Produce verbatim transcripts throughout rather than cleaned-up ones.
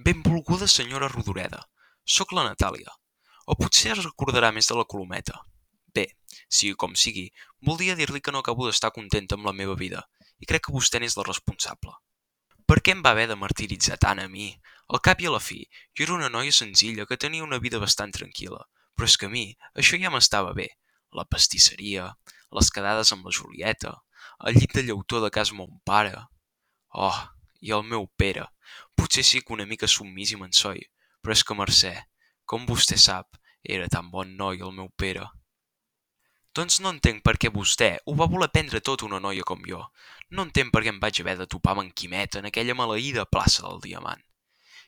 Benvolguda senyora Rodoreda, sóc la Natàlia. O potser es recordarà més de la Colometa. Bé, sigui com sigui, voldria dir-li que no acabo d'estar contenta amb la meva vida i crec que vostè n'és la responsable. Per què em va haver de martiritzar tant a mi? Al cap i a la fi, jo era una noia senzilla que tenia una vida bastant tranquil·la, però és que a mi això ja m'estava bé. La pastisseria, les quedades amb la Julieta, el llit de llautó de casa mon pare. Oh, i el meu Pere. Potser sí que una mica submís i mensoi, però és que Mercè, com vostè sap, era tan bon noi el meu Pere. Doncs no entenc per què vostè ho va voler prendre tot una noia com jo. No entenc per què em vaig haver de topar amb en Quimet en aquella maleïda plaça del Diamant.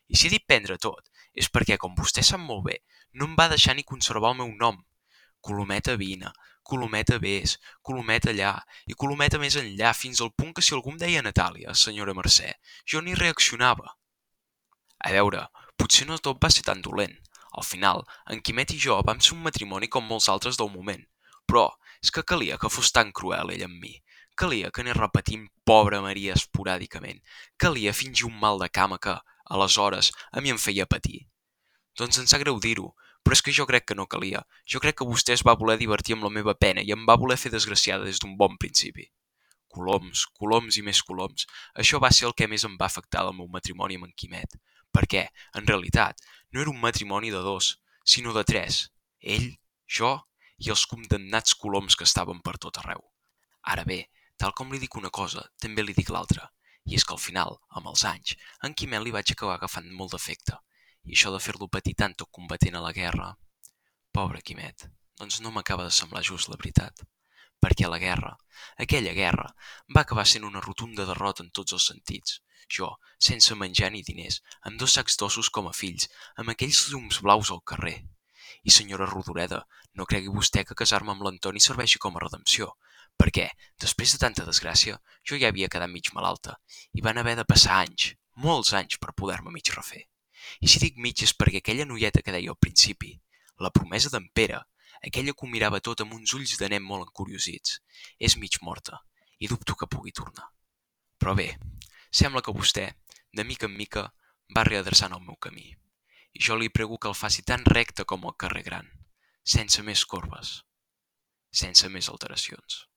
I si dic prendre tot, és perquè, com vostè sap molt bé, no em va deixar ni conservar el meu nom. Colometa vine, Colometa vés, Colometa allà i Colometa més enllà, fins al punt que si algú em deia Natàlia, senyora Mercè, jo ni reaccionava. A veure, potser no tot va ser tan dolent. Al final, en Quimet i jo vam ser un matrimoni com molts altres del moment. Però és que calia que fos tan cruel ell amb mi. Calia que anés repetint pobra Maria esporàdicament. Calia fingir un mal de cama que, aleshores, a mi em feia patir. Doncs em sap greu dir-ho, però és que jo crec que no calia. Jo crec que vostè es va voler divertir amb la meva pena i em va voler fer desgraciada des d'un bon principi. Coloms, coloms i més coloms. Això va ser el que més em va afectar del meu matrimoni amb en Quimet. Perquè, en realitat, no era un matrimoni de dos, sinó de tres. Ell, jo i els condemnats coloms que estaven per tot arreu. Ara bé, tal com li dic una cosa, també li dic l'altra. I és que al final, amb els anys, a en Quimet li vaig acabar agafant molt d'afecte. I això de fer-lo patir tant tot combatent a la guerra... Pobre Quimet, doncs no m'acaba de semblar just la veritat. Perquè la guerra, aquella guerra, va acabar sent una rotunda derrota en tots els sentits. Jo, sense menjar ni diners, amb dos sacs d'ossos com a fills, amb aquells llums blaus al carrer. I senyora Rodoreda, no cregui vostè que casar-me amb l'Antoni serveixi com a redempció, perquè, després de tanta desgràcia, jo ja havia quedat mig malalta, i van haver de passar anys, molts anys per poder-me mig refer. I si dic mig és perquè aquella noieta que deia al principi, la promesa d'en Pere, aquella que ho mirava tot amb uns ulls de nen molt encuriosits, és mig morta i dubto que pugui tornar. Però bé, sembla que vostè, de mica en mica, va readreçant el meu camí. I jo li prego que el faci tan recte com el carrer Gran, sense més corbes, sense més alteracions.